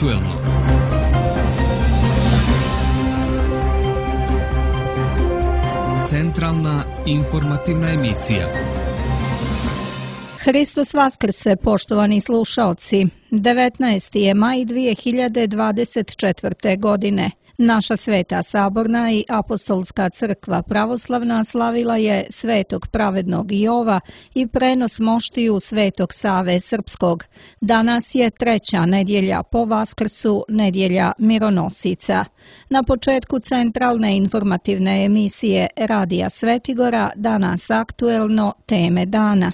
aktuelno. Centralna informativna emisija. Hristos Vaskrse, poštovani slušaoci. 19. je maj 2024. godine. Naša Sveta Saborna i Apostolska crkva pravoslavna slavila je Svetog pravednog Jova i prenos moštiju Svetog Save Srpskog. Danas je treća nedjelja po Vaskrsu, nedjelja mironosica. Na početku centralne informativne emisije Radija Svetigora danas aktuelno teme dana.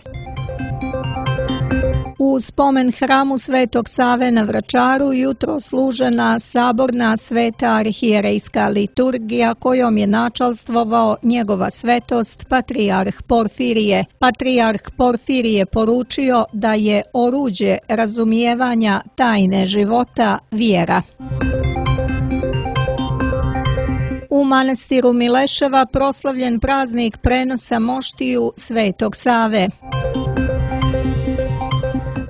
U spomen hramu Svetog Save na Vračaru jutro služena saborna sveta arhijerejska liturgija kojom je načalstvovao njegova svetost Patrijarh Porfirije. Patrijarh Porfirije poručio da je oruđe razumijevanja tajne života vjera. U manastiru Mileševa proslavljen praznik prenosa moštiju Svetog Save.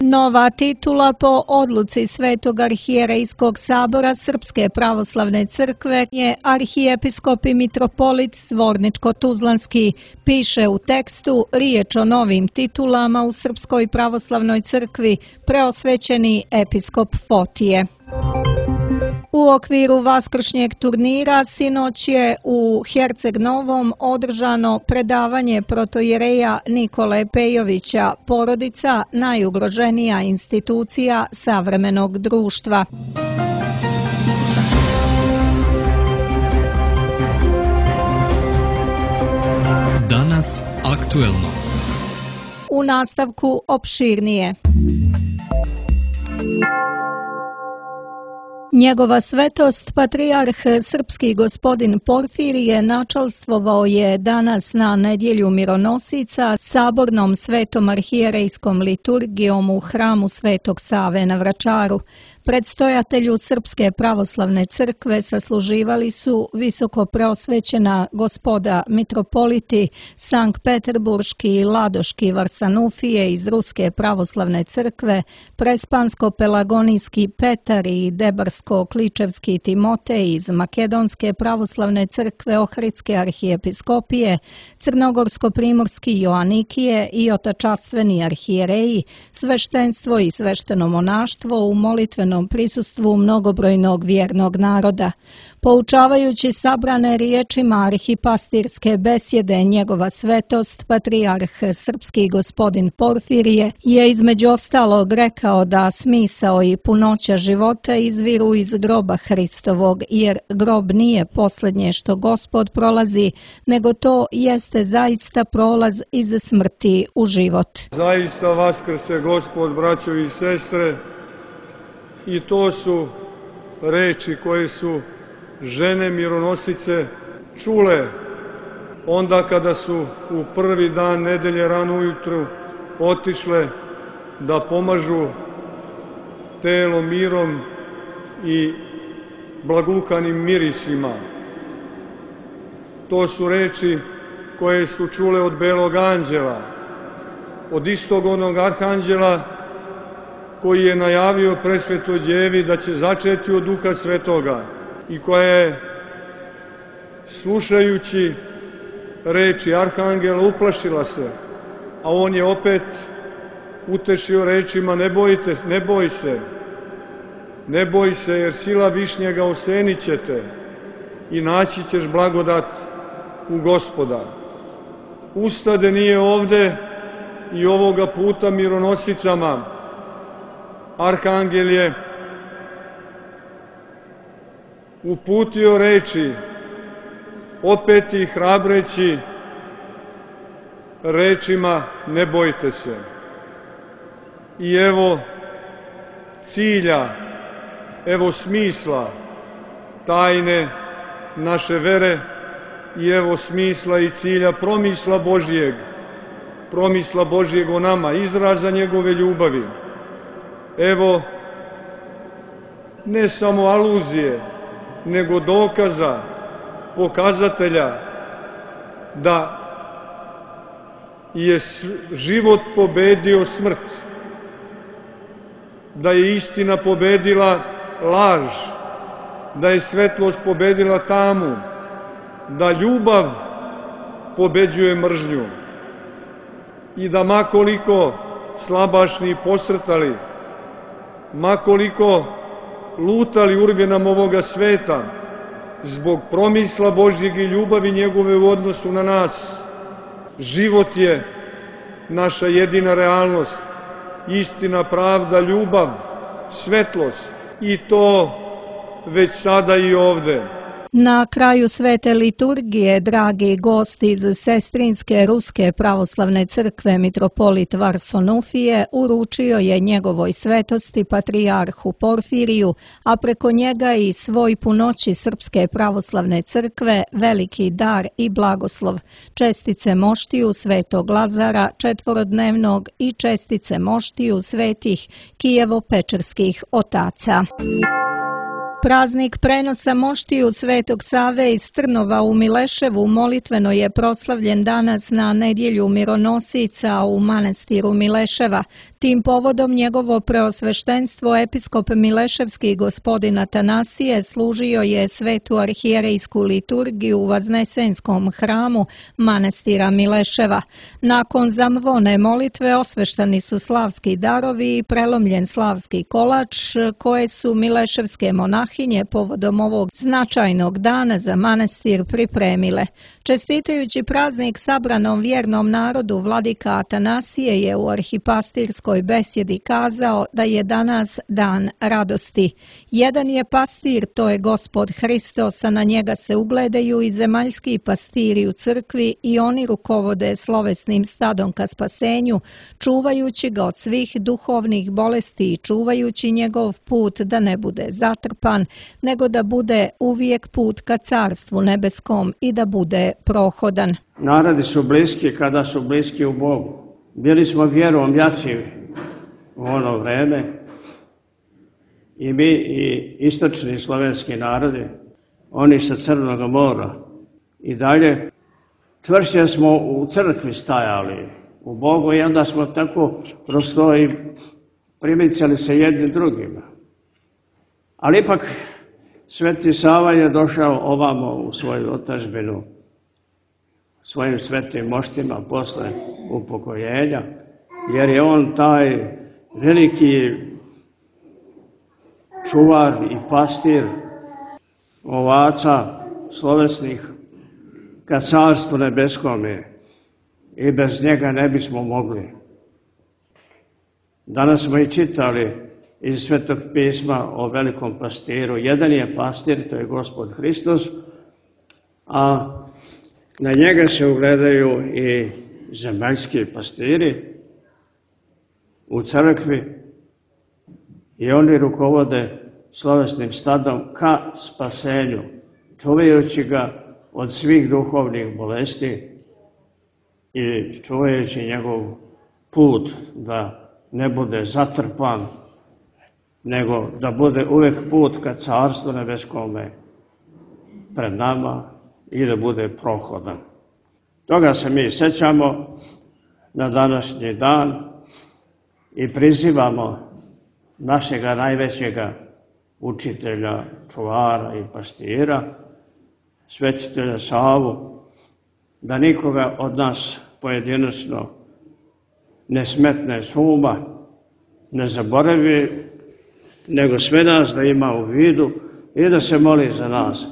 Nova titula po odluci Svetog arhijerejskog sabora Srpske pravoslavne crkve je arhijepiskop i mitropolit Zvorničko-Tuzlanski. Piše u tekstu riječ o novim titulama u Srpskoj pravoslavnoj crkvi preosvećeni episkop Fotije. U okviru vaskršnjeg turnira sinoć je u Herceg Novom održano predavanje protojereja Nikole Pejovića, porodica najugroženija institucija savremenog društva. Danas aktuelno. U nastavku opširnije. Njegova svetost, Patrijarh Srpski gospodin Porfirije, načalstvovao je danas na nedjelju mironosica sabornom svetom arhijerejskom liturgijom u hramu Svetog Save na Vračaru. Predstojatelju Srpske pravoslavne crkve sasluživali su visoko preosvećena gospoda mitropoliti Sankt Peterburški i Ladoški Varsanufije iz Ruske pravoslavne crkve, Prespansko-pelagonijski Petar i Debarsko-kličevski Timotej iz Makedonske pravoslavne crkve Ohridske arhijepiskopije, Crnogorsko-primorski Joanikije i otačastveni arhijereji, sveštenstvo i svešteno monaštvo u molitvenom prisustvu mnogobrojnog vjernog naroda. Poučavajući sabrane riječima arhipastirske besjede, njegova svetost, Patrijarh Srpski gospodin Porfirije, je između ostalog rekao da smisao i punoća života izviru iz groba Hristovog, jer grob nije posljednje što Gospod prolazi, nego to jeste zaista prolaz iz smrti u život. Zaista vaskrse Gospod, braćo i sestre, i to su reči koje su žene mironosice čule onda kada su u prvi dan nedelje rano ujutru otišle da pomažu telo mirom i blaguhanim mirisima. To su reči koje su čule od belog anđela, od istog onog arhanđela koji je najavio presvetoj djevi da će začeti od Duha Svetoga i koja je, slušajući reči arhangela, uplašila se, a on je opet utešio rečima: ne boj se, jer sila višnjega osenit će te i naći ćeš blagodat u Gospoda. Ustade nije ovde i ovoga puta mironosicama arhangel je uputio reči, opet ih hrabreći rečima: ne bojte se. I evo cilja, evo smisla tajne naše vere i evo smisla i cilja promisla Božjeg o nama, izraza njegove ljubavi. Evo, ne samo aluzije, nego dokaza, pokazatelja da je život pobedio smrt, da je istina pobedila laž, da je svetlost pobedila tamu, da ljubav pobeđuje mržnju i da makoliko slabašni posrtali, makoliko lutali urgenam ovoga sveta, zbog promisla Božjeg i ljubavi njegove u odnosu na nas, život je naša jedina realnost, istina, pravda, ljubav, svetlost i to već sada i ovde. Na kraju svete liturgije, dragi gosti iz Sestrinske Ruske pravoslavne crkve, mitropolit Varsonuhije uručio je njegovoj svetosti patrijarhu Porfiriju, a preko njega i svoj punoći Srpske pravoslavne crkve veliki dar i blagoslov, čestice moštiju svetog Lazara četvorodnevnog i čestice moštiju svetih Kijevo-Pečerskih otaca. Praznik prenosa moštiju Svetog Save iz Trnova u Mileševu molitveno je proslavljen danas na nedjelju mironosica u manastiru Mileševa. Tim povodom njegovo preosveštenstvo episkop Mileševski gospodin Atanasije služio je svetu arhijerejsku liturgiju u Vaznesenskom hramu manastira Mileševa. Nakon zamvone molitve osveštani su slavski darovi i prelomljen slavski kolač koje su mileševske monahinje povodom ovog značajnog dana za manastir pripremile. Čestitajući praznik sabranom vjernom narodu, vladika Atanasije je u arhipastirskoj besjedi kazao da je danas dan radosti. Jedan je pastir, to je Gospod Hristos, a na njega se ugledaju i zemaljski pastiri u crkvi i oni rukovode slovesnim stadom ka spasenju, čuvajući ga od svih duhovnih bolesti i čuvajući njegov put da ne bude zatrpan, nego da bude uvijek put ka carstvu nebeskom i da bude prohodan. Narodi su bliski kada su bliski u Bogu. Bili smo vjerom jači u ono vreme i mi i istočni slovenski narodi, oni sa Crnog mora i dalje, čvršće smo u crkvi stajali u Bogu i onda smo tako kroz to i primicali se jednim drugima. Ali ipak Sveti Sava je došao ovamo u svoju otadžbinu svojim svetim moštima posle upokojenja, jer je on taj veliki čuvar i pastir ovaca slovesnih ka carstvu nebeskome i bez njega ne bismo mogli. Danas smo i čitali iz Svetog pisma o velikom pastiru. Jedan je pastir, to je Gospod Hristos, a na njega se ugledaju i zemaljski pastiri u crkvi i oni rukovode slovesnim stadom ka spasenju, čuvajući ga od svih duhovnih bolesti i čuvajući njegov put da ne bude zatrpan, nego da bude uvijek put ka carstvu nebeskome pred nama i da bude prohodan. Toga se mi sećamo na današnji dan i prizivamo našega najvećega učitelja, čuvara i pastira, svetitelja Savu, da nikoga od nas pojedinačno ne smetne s uma, ne zaboravi, nego sve nas da ima u vidu i da se moli za nas.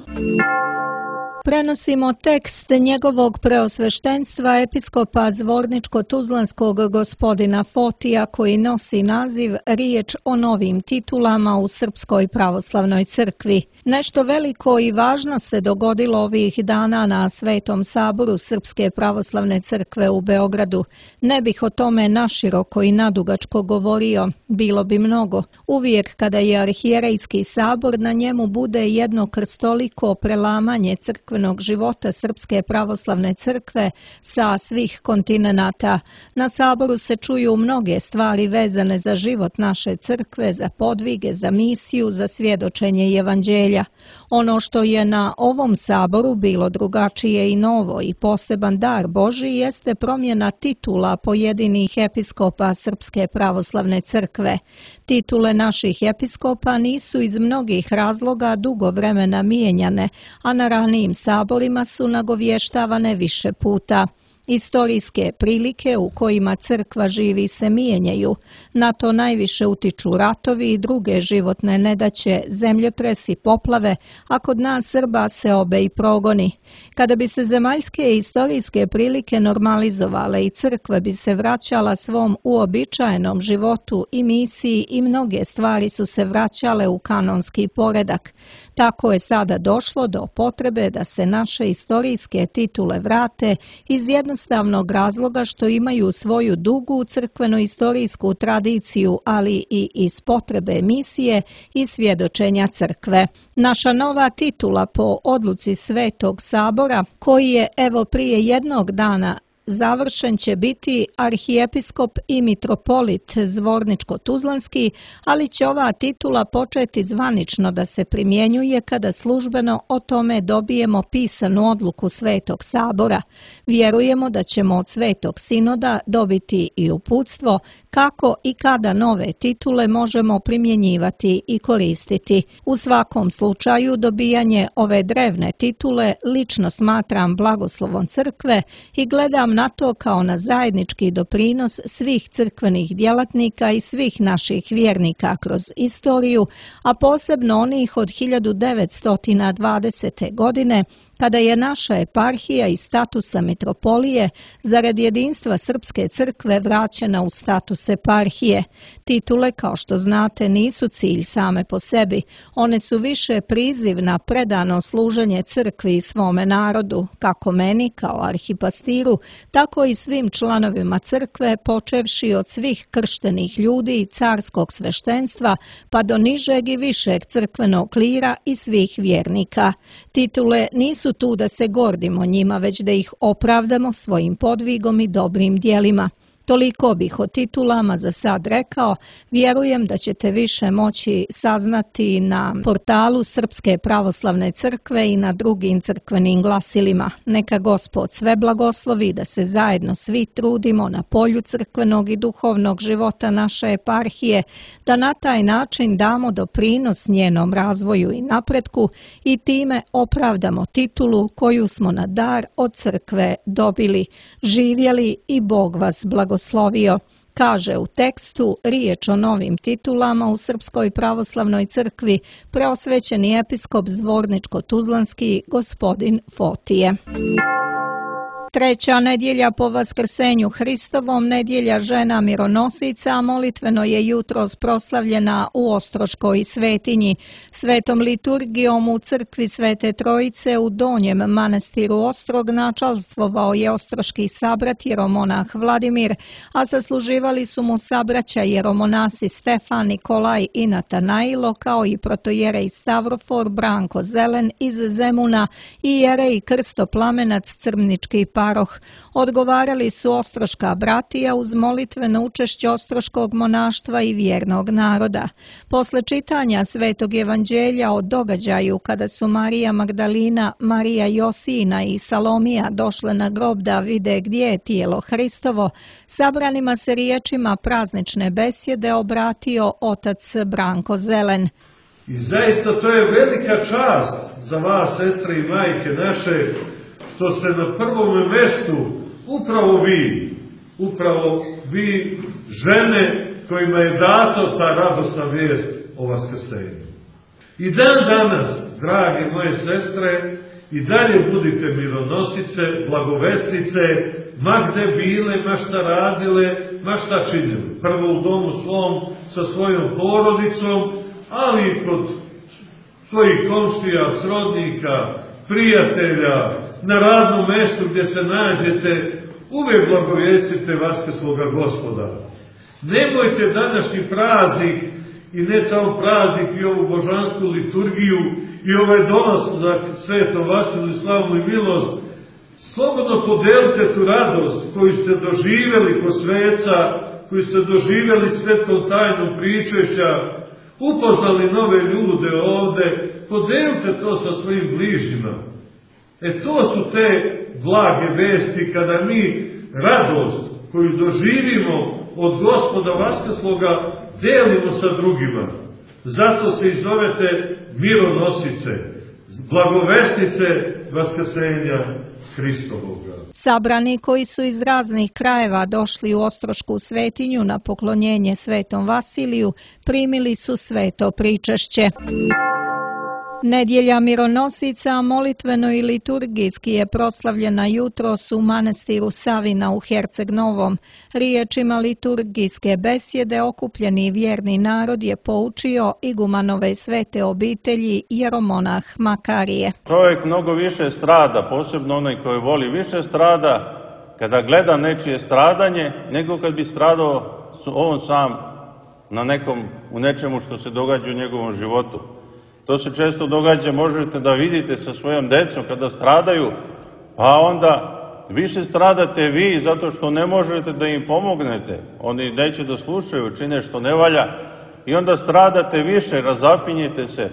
Prenosimo tekst njegovog preosveštenstva episkopa Zvorničko-Tuzlanskog gospodina Fotija koji nosi naziv Riječ o novim titulama u Srpskoj pravoslavnoj crkvi. Nešto veliko i važno se dogodilo ovih dana na Svetom saboru Srpske pravoslavne crkve u Beogradu. Ne bih o tome naširoko i nadugačko govorio, bilo bi mnogo. Uvijek kada je arhijerejski sabor, na njemu bude jedno krstoliko prelamanje crkve crkvenog života Srpske pravoslavne crkve sa svih kontinenata. Na saboru se čuju mnoge stvari vezane za život naše crkve, za podvige, za misiju, za svjedočenje evanđelja. Ono što je na ovom saboru bilo drugačije i novo i poseban dar Božji jeste promjena titula pojedinih episkopa Srpske pravoslavne crkve. Titule naših episkopa nisu iz mnogih razloga dugo vremena mijenjane, a na ranijim saborima su nagovještavane više puta. Istorijske prilike u kojima crkva živi se mijenjaju. Na to najviše utiču ratovi i druge životne nedaće, zemljotresi, poplave, a kod nas Srba se obe i progoni. Kada bi se zemaljske i istorijske prilike normalizovale i crkva bi se vraćala svom uobičajenom životu i misiji i mnoge stvari su se vraćale u kanonski poredak. Tako je sada došlo do potrebe da se naše istorijske titule vrate iz jednostavnog razloga što imaju svoju dugu crkveno-istorijsku tradiciju, ali i iz potrebe misije i svjedočenja crkve. Naša nova titula po odluci Svetog sabora, koji je evo prije jednog dana završen, će biti arhijepiskop i mitropolit Zvorničko-Tuzlanski, ali će ova titula početi zvanično da se primjenjuje kada službeno o tome dobijemo pisanu odluku Svetog sabora. Vjerujemo da ćemo od Svetog sinoda dobiti i uputstvo kako i kada nove titule možemo primjenjivati i koristiti. U svakom slučaju dobijanje ove drevne titule lično smatram blagoslovom crkve i gledam na to kao na zajednički doprinos svih crkvenih djelatnika i svih naših vjernika kroz istoriju, a posebno onih od 1920. godine, kada je naša eparhija iz statusa mitropolije zarad jedinstva Srpske crkve vraćena u status eparhije. Titule, kao što znate, nisu cilj same po sebi. One su više priziv na predano služenje crkvi i svome narodu, kako meni kao arhipastiru, tako i svim članovima crkve, počevši od svih krštenih ljudi i carskog sveštenstva, pa do nižeg i višeg crkvenog klira i svih vjernika. Titule nisu tu da se gordimo njima, već da ih opravdamo svojim podvigom i dobrim djelima. Toliko bih o titulama za sad rekao, vjerujem da ćete više moći saznati na portalu Srpske pravoslavne crkve i na drugim crkvenim glasilima. Neka Gospod sve blagoslovi da se zajedno svi trudimo na polju crkvenog i duhovnog života naše eparhije, da na taj način damo doprinos njenom razvoju i napretku i time opravdamo titulu koju smo na dar od crkve dobili. Živjeli i Bog vas blagoslovio. Kaže u tekstu riječ o novim titulama u Srpskoj pravoslavnoj crkvi preosvećeni episkop Zvorničko-Tuzlanski gospodin Fotije. Treća nedjelja po Vaskrsenju Hristovom, nedjelja žena mironosica, molitveno je jutros proslavljena u Ostroškoj svetinji. Svetom liturgijom u crkvi Svete Trojice u Donjem manastiru Ostrog načalstvovao je ostroški sabrat jeromonah Vladimir, a sasluživali su mu sabraća jeromonasi Stefan, Nikolaj i Natanailo, kao i protojerej Stavrofor Branko Zelen iz Zemuna i jerej Krsto Plamenac Crmnički paroh. Odgovarali su ostroška bratija uz molitveno učešće ostroškog monaštva i vjernog naroda. Posle čitanja Svetog evanđelja o događaju kada su Marija Magdalina, Marija Josina i Salomija došle na grob da vide gdje je tijelo Hristovo, sabranima se riječima praznične besjede obratio otac Branko Zelen. I zaista to je velika čast za vas, sestre i majke naše, što ste na prvom mjestu upravo vi žene kojima je dato ta radosna vijest o vaskrsenju. I dan danas, drage moje sestre, i dalje budite mironosice, blagovestice, ma gde bile, ma šta radile, ma šta činili. Prvo u domu svom, sa svojom porodicom, ali i kod svojih komšija, srodnika, prijatelja, na radnom mjestu gdje se nađete, uvijek blagovjestite vaskrsloga Gospoda. Nemojte današnji praznik i ne samo praznik i ovu božansku liturgiju i ovaj dolazak Svetom Vasilu i slavnu i milost, slobodno podelite tu radost koju ste doživjeli kod sveca, koju ste doživjeli svetom tajnom pričešća, upoznali nove ljude ovde, podelite to sa svojim bližnjima. To su te blage vesti kada mi radost koju doživimo od Gospoda Vaskrsloga delimo sa drugima. Zato se i zovete mironosice, blagovesnice Vaskrsenja Hristovoga. Sabrani koji su iz raznih krajeva došli u Ostrošku svetinju na poklonjenje Svetom Vasiliju primili su sveto pričešće. Nedjelja mironosica molitveno i liturgijski je proslavljena jutros u manastiru Savina u Herceg Novom. Riječima liturgijske besjede okupljeni vjerni narod je poučio igumanove svete obitelji jeromonah Makarije. Čovjek mnogo više strada, posebno onaj koji voli više strada, kada gleda nečije stradanje, nego kad bi stradao on sam u nečemu što se događa u njegovom životu. To se često događa, možete da vidite sa svojom decom kada stradaju, pa onda više stradate vi zato što ne možete da im pomognete. Oni neće da slušaju, čine što ne valja i onda stradate više, razapinjete se.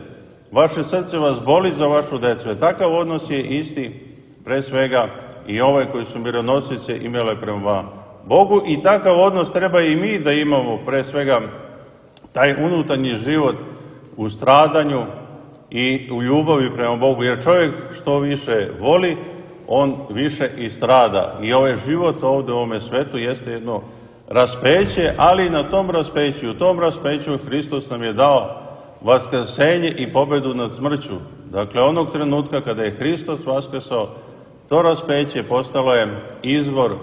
Vaše srce vas boli za vašu decu. Takav odnos je isti, pre svega, i ove koji su mironosice imale prema Bogu i takav odnos treba i mi da imamo, pre svega, taj unutarnji život u stradanju i u ljubavi prema Bogu, jer čovjek što više voli, on više i strada. I ovaj život ovdje u ovome svetu jeste jedno raspeće, ali na tom raspeću, u tom raspeću Hristos nam je dao vaskrsenje i pobedu nad smrću. Dakle, onog trenutka kada je Hristos vaskrsao, to raspeće postalo je izvor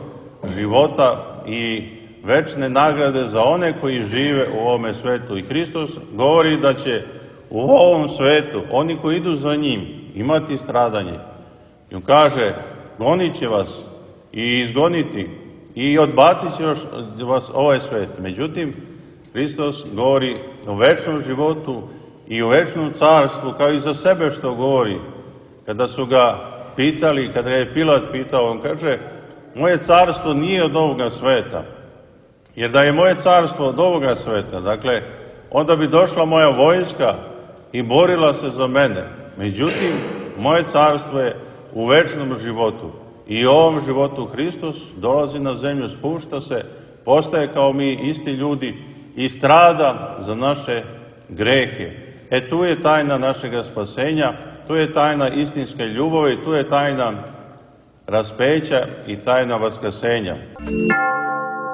života i večne nagrade za one koji žive u ovome svetu. I Hristos govori da će u ovom svetu oni koji idu za njim imati stradanje. I on kaže, gonit će vas i izgoniti i odbacit će vas ovaj svet. Međutim, Hristos govori o večnom životu i o večnom carstvu, kao i za sebe što govori. Kada su ga pitali, kada je Pilat pitao, on kaže, moje carstvo nije od ovoga sveta. Jer da je moje carstvo od ovoga sveta, dakle, onda bi došla moja vojska i borila se za mene. Međutim, moje carstvo je u večnom životu. I u ovom životu Hristos dolazi na zemlju, spušta se, postaje kao mi isti ljudi i strada za naše grehe. Tu je tajna našega spasenja, tu je tajna istinske ljubavi, tu je tajna raspeća i tajna vaskrsenja.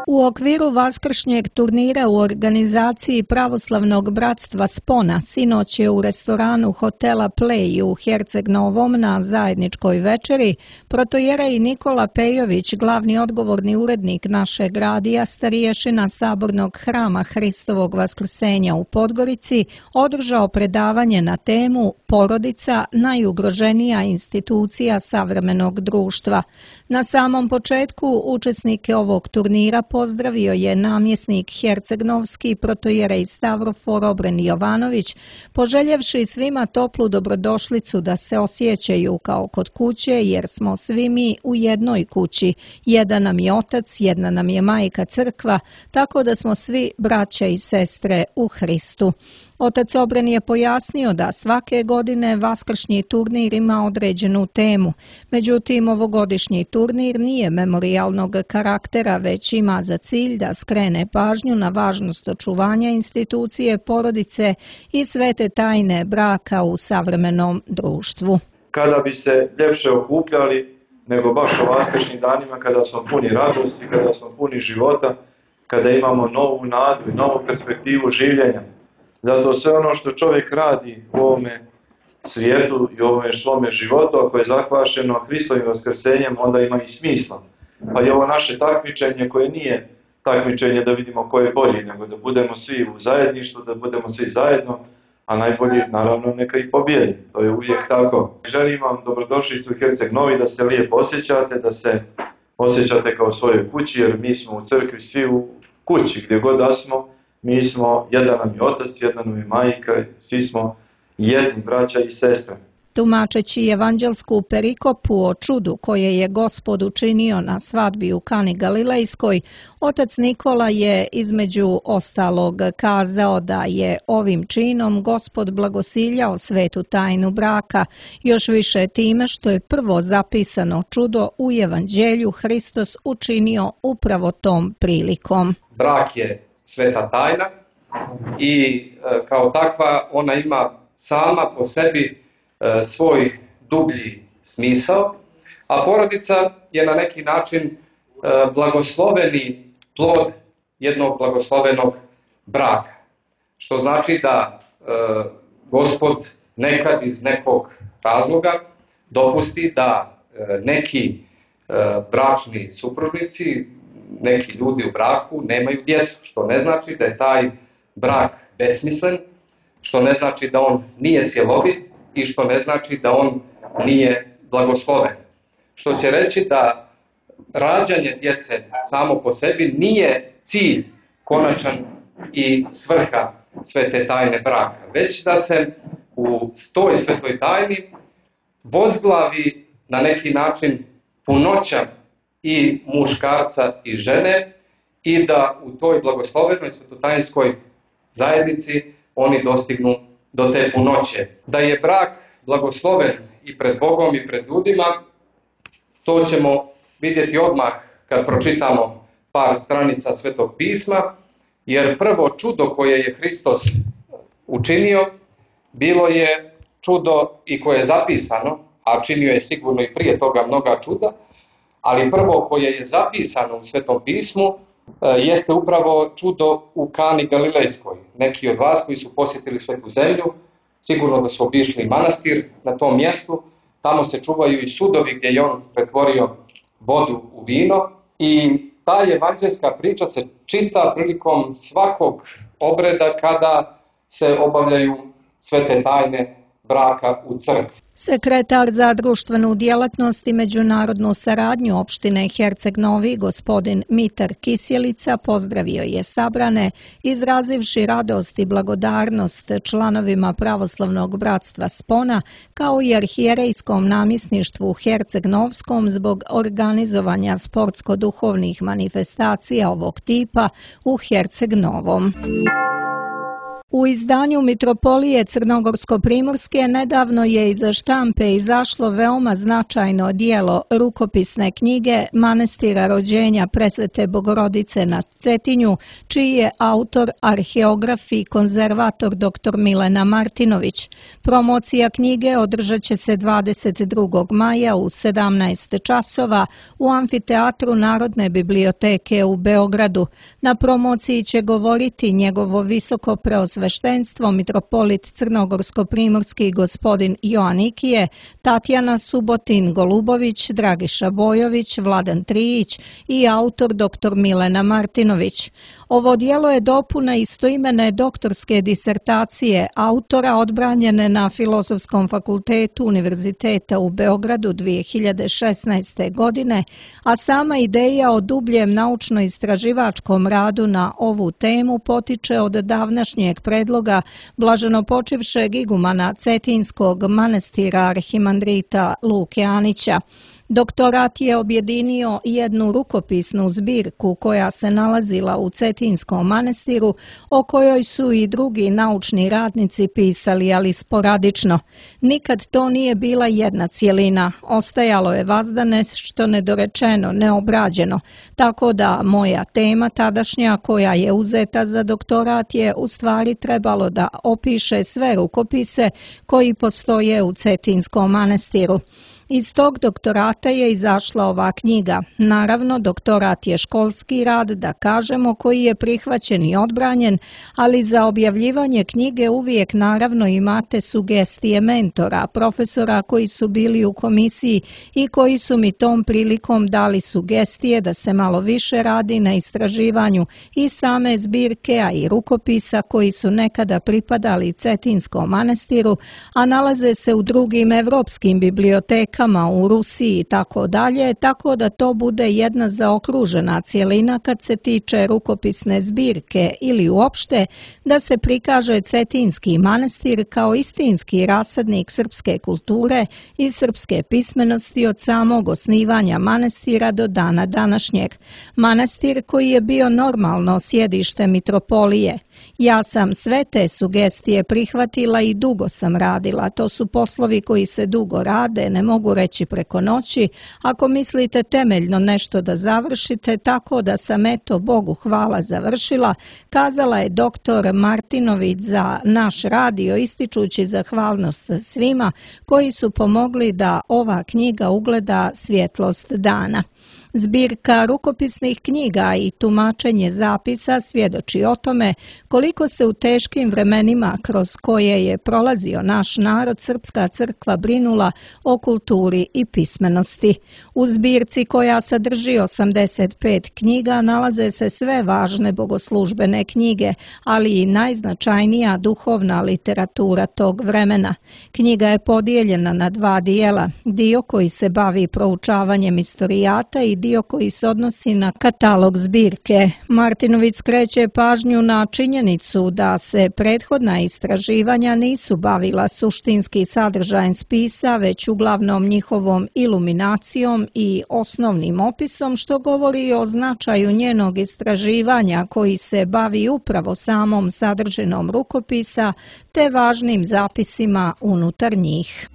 U okviru vaskršnjeg turnira u organizaciji Pravoslavnog bratstva Spona sinoć je u restoranu hotela Play u Herceg Novom na zajedničkoj večeri protojerej Nikola Pejović, glavni odgovorni urednik našeg radija, starješina Sabornog hrama Hristovog vaskrsenja u Podgorici, održao predavanje na temu Porodica najugroženija institucija savremenog društva. Na samom početku učesnike ovog turnira pozdravio je namjesnik hercegnovski protojerej Stavrofor Obren Jovanović, poželjevši svima toplu dobrodošlicu da se osjećaju kao kod kuće, jer smo svi mi u jednoj kući. Jedan nam je otac, jedna nam je majka crkva, tako da smo svi braća i sestre u Hristu. Otac Obren je pojasnio da svake godine vaskršnji turnir ima određenu temu. Međutim, ovogodišnji turnir nije memorijalnog karaktera, već ima za cilj da skrene pažnju na važnost očuvanja institucije porodice i svete tajne braka u savremenom društvu. Kada bi se ljepše okupljali nego baš o vaskršnjim danima, kada smo puni radosti, kada smo puni života, kada imamo novu nadu i novu perspektivu življenja. Zato sve ono što čovjek radi u ovome svijetu i u ovome svome životu, ako je zahvašeno Hristovim vaskrsenjem, onda ima i smisla. Pa i ovo naše takmičenje koje nije takmičenje da vidimo ko je bolji, nego da budemo svi u zajedništvu, da budemo svi zajedno, a najbolji naravno neka i pobjedi. To je uvijek tako. Želim vam dobrodošlicu u Herceg Novi, da se lijepo osjećate, da se osjećate kao u svojoj kući, jer mi smo u crkvi svi u kući, gdje god da smo, mi smo, jedan nam je otac, jedna nam je majka, svi smo jedni braća i sestre. Tumačeći evanđelsku perikopu o čudu koje je Gospod učinio na svadbi u Kani Galilejskoj, otac Nikola je između ostalog kazao da je ovim činom Gospod blagosiljao svetu tajnu braka, još više time što je prvo zapisano čudo u evanđelju Hristos učinio upravo tom prilikom. Brak je sveta tajna i kao takva ona ima sama po sebi svoj dublji smisao, a porodica je na neki način blagosloveni plod jednog blagoslovenog braka. Što znači da Gospod nekad iz nekog razloga dopusti da neki bračni supružnici, neki ljudi u braku nemaju djecu, što ne znači da je taj brak besmislen, što ne znači da on nije cjelovit, i što ne znači da on nije blagosloven. Što će reći da rađanje djece samo po sebi nije cilj konačan i svrha svete tajne braka, već da se u toj svetoj tajni vozglavi na neki način punoća i muškarca i žene i da u toj blagoslovenoj svetotajnskoj zajednici oni dostignu do te punoće. Da je brak blagosloven i pred Bogom i pred ljudima, to ćemo vidjeti odmah kad pročitamo par stranica Svetog pisma, jer prvo čudo koje je Hristos učinio, bilo je čudo i koje je zapisano, a činio je sigurno i prije toga mnoga čuda, ali prvo koje je zapisano u Svetom pismu, jeste upravo čudo u Kani Galilejskoj. Neki od vas koji su posjetili Svetu zemlju, sigurno da su obišli manastir na tom mjestu, tamo se čuvaju i sudovi gdje je on pretvorio vodu u vino i ta evanđeljska priča se čita prilikom svakog obreda kada se obavljaju svete tajne braka u crkvi. Sekretar za društvenu djelatnost i međunarodnu saradnju opštine Herceg Novi, gospodin Mitar Kisjelica, pozdravio je sabrane, izrazivši radost i blagodarnost članovima Pravoslavnog bratstva Spona, kao i arhijerejskom namjesništvu u Herceg Novskom zbog organizovanja sportsko-duhovnih manifestacija ovog tipa u Herceg Novom. U izdanju Mitropolije Crnogorsko-primorske nedavno je iza štampe izašlo veoma značajno djelo rukopisne knjige Manastira rođenja Presvete Bogorodice na Cetinju, čiji je autor arheograf i konzervator dr. Milena Martinović. Promocija knjige održat će se 22. maja u 17 časova u amfiteatru Narodne biblioteke u Beogradu. Na promociji će govoriti njegovo visoko preosveštenstvo mitropolit Crnogorsko-primorski gospodin Joanikije, Tatjana Subotin-Golubović, Dragiša Bojović, Vladan Trijić i autor dr. Milena Martinović. Ovo djelo je dopuna istoimene doktorske disertacije autora odbranjene na Filozofskom fakultetu Univerziteta u Beogradu 2016. godine, a sama ideja o dubljem naučno-istraživačkom radu na ovu temu potiče od davnašnjeg predloga blaženopočivšeg igumana Cetinskog manastira arhimandrita Luke Anića. Doktorat je objedinio jednu rukopisnu zbirku koja se nalazila u Cetinskom manastiru, o kojoj su i drugi naučni radnici pisali, ali sporadično. Nikad to nije bila jedna cjelina, ostajalo je vazda nešto nedorečeno, neobrađeno, tako da moja tema tadašnja koja je uzeta za doktorat je u stvari trebalo da opiše sve rukopise koji postoje u Cetinskom manastiru. Iz tog doktorata je izašla ova knjiga. Naravno, doktorat je školski rad, da kažemo, koji je prihvaćen i odbranjen, ali za objavljivanje knjige uvijek naravno imate sugestije mentora, profesora koji su bili u komisiji i koji su mi tom prilikom dali sugestije da se malo više radi na istraživanju i same zbirke, a i rukopisa koji su nekada pripadali Cetinskom manastiru, a nalaze se u drugim evropskim bibliotekama zbirkama u Rusiji i tako dalje, tako da to bude jedna zaokružena cjelina kad se tiče rukopisne zbirke ili uopšte da se prikaže Cetinski manastir kao istinski rasadnik srpske kulture i srpske pismenosti od samog osnivanja manastira do dana današnjeg. Manastir koji je bio normalno sjedište mitropolije. Ja sam sve te sugestije prihvatila i dugo sam radila. To su poslovi koji se dugo rade, ne mogu reći preko noći. Ako mislite temeljno nešto da završite, tako da sam eto Bogu hvala završila, kazala je doktor Martinović za naš radio, ističući zahvalnost svima koji su pomogli da ova knjiga ugleda svjetlost dana. Zbirka rukopisnih knjiga i tumačenje zapisa svjedoči o tome koliko se u teškim vremenima kroz koje je prolazio naš narod Srpska crkva brinula o kulturi i pismenosti. U zbirci koja sadrži 85 knjiga nalaze se sve važne bogoslužbene knjige, ali i najznačajnija duhovna literatura tog vremena. Knjiga je podijeljena na dva dijela, dio koji se bavi proučavanjem istorijata i dio koji se odnosi na katalog zbirke. Martinović skreće pažnju na činjenicu da se prethodna istraživanja nisu bavila suštinski sadržajem spisa, već uglavnom njihovom iluminacijom i osnovnim opisom, što govori o značaju njenog istraživanja koji se bavi upravo samom sadržinom rukopisa te važnim zapisima unutar njih.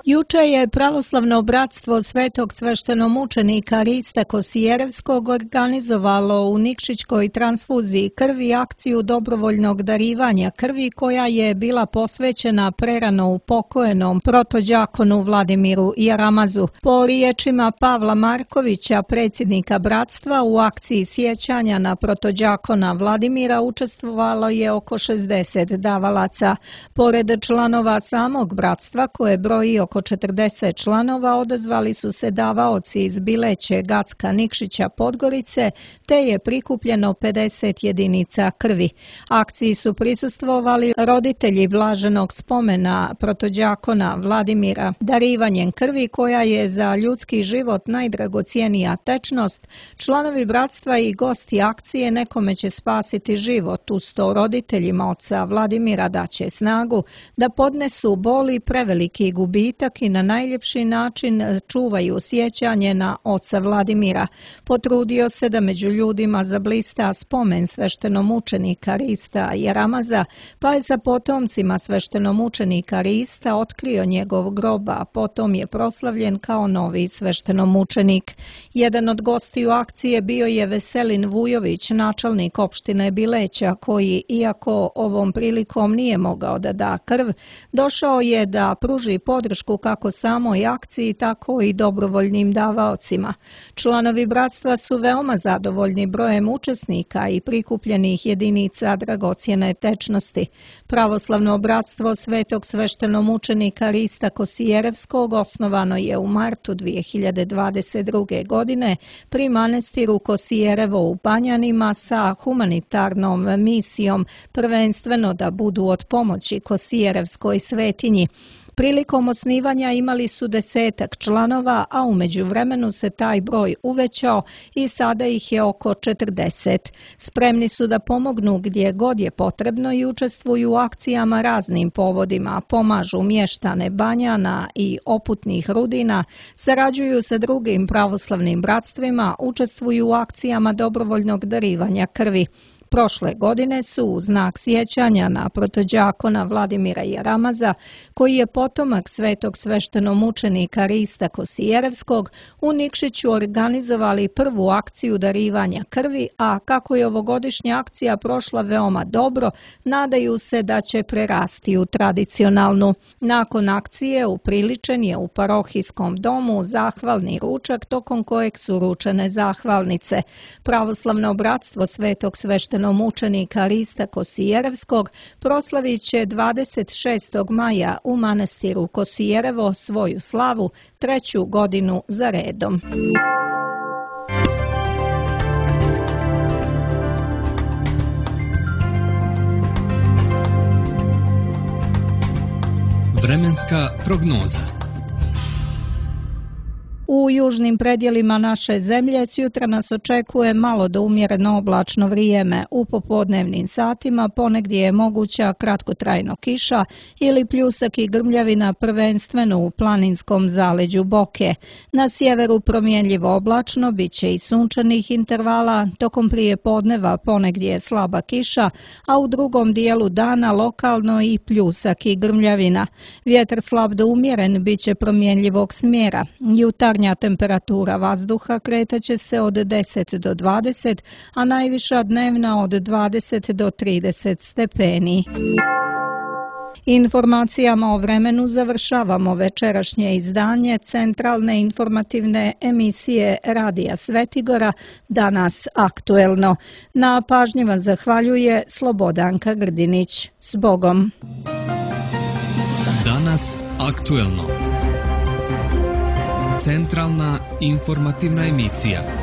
Juče je Pravoslavno bratstvo Svetog sveštenomučenika Rista Kosijerevskog organizovalo u Nikšićkoj transfuziji krvi akciju dobrovoljnog darivanja krvi koja je bila posvećena prerano upokojenom protođakonu Vladimiru Jaramazu. Po riječima Pavla Markovića, predsjednika bratstva, u akciji sjećanja na protođakona Vladimira učestvovalo je oko 60 davalaca. Pored članova samog bratstva, koje broji oko 40 članova, odazvali su se davaoci iz Bileće, Gacka, Nikšića, Podgorice, te je prikupljeno 50 jedinica krvi. Akciji su prisustvovali roditelji blaženog spomena protođakona Vladimira. Darivanjem krvi, koja je za ljudski život najdragocjenija tečnost, članovi bratstva i gosti akcije nekome će spasiti život. Uz to roditeljima oca Vladimira daće snagu da podnesu bol i preveliki gubitak i na najljepši način čuvaju sjećanje na oca Vladimira. Potrudio se da među ljudima zablista spomen sveštenomučenika Rista Jaramaza, pa je za potomcima sveštenomučenika Rista otkrio njegov grob, a potom je proslavljen kao novi sveštenomučenik. Jedan od gostiju akcije bio je Veselin Vujović, načelnik opštine Bileća, koji, iako ovom prilikom nije mogao da da krv, došao je da pruži podršku kako samoj akciji, tako i dobrovoljnim davaocima. Članovi bratstva su veoma zadovoljni brojem učesnika i prikupljenih jedinica dragocjene tečnosti. Pravoslavno bratstvo Svetog sveštenomučenika Rista Kosijerevskog osnovano je u martu 2022. godine pri manastiru Kosijerevo u Banjanima sa humanitarnom misijom, prvenstveno da budu od pomoći Kosijerevskoj svetinji. Prilikom osnivanja imali su 10 članova, a u međuvremenu se taj broj uvećao i sada ih je oko 40. Spremni su da pomognu gdje god je potrebno i učestvuju u akcijama raznim povodima, pomažu mještane Banjana i Oputnih Rudina, sarađuju sa drugim pravoslavnim bratstvima, učestvuju u akcijama dobrovoljnog darivanja krvi. Prošle godine su u znak sjećanja na protođakona Vladimira Jaramaza, koji je potomak Svetog sveštenomučenika Rista Kosijerevskog, u Nikšiću organizovali prvu akciju darivanja krvi, a kako je ovogodišnja akcija prošla veoma dobro, nadaju se da će prerasti u tradicionalnu. Nakon akcije upriličen je u parohijskom domu zahvalni ručak, tokom kojeg su ručene zahvalnice. Pravoslavno bratstvo Svetog sveštenomučenika Rista Kosijerevskog proslavit će 26. maja u manastiru Kosijerevo svoju slavu 3. godinu za redom. Vremenska prognoza. U južnim predjelima naše zemlje jutra nas očekuje malo do umjereno oblačno vrijeme. U popodnevnim satima ponegdje je moguća kratkotrajno kiša ili pljusak i grmljavina prvenstveno u planinskom zaleđu Boke. Na sjeveru promjenljivo oblačno, bit će i sunčanih intervala, tokom prije podneva ponegdje je slaba kiša, a u drugom dijelu dana lokalno i pljusak i grmljavina. Vjetar slab do umjeren bit će promjenljivog smjera. Jutarnja temperatura vazduha kretaće se od 10 do 20, a najviša dnevna od 20 do 30 stepeni. Informacijama o vremenu završavamo večerašnje izdanje centralne informativne emisije Radija Svetigora Danas aktuelno. Na pažnji vam zahvaljuje Slobodanka Grdinić. S Bogom! Danas aktuelno. Centralna informativna emisija.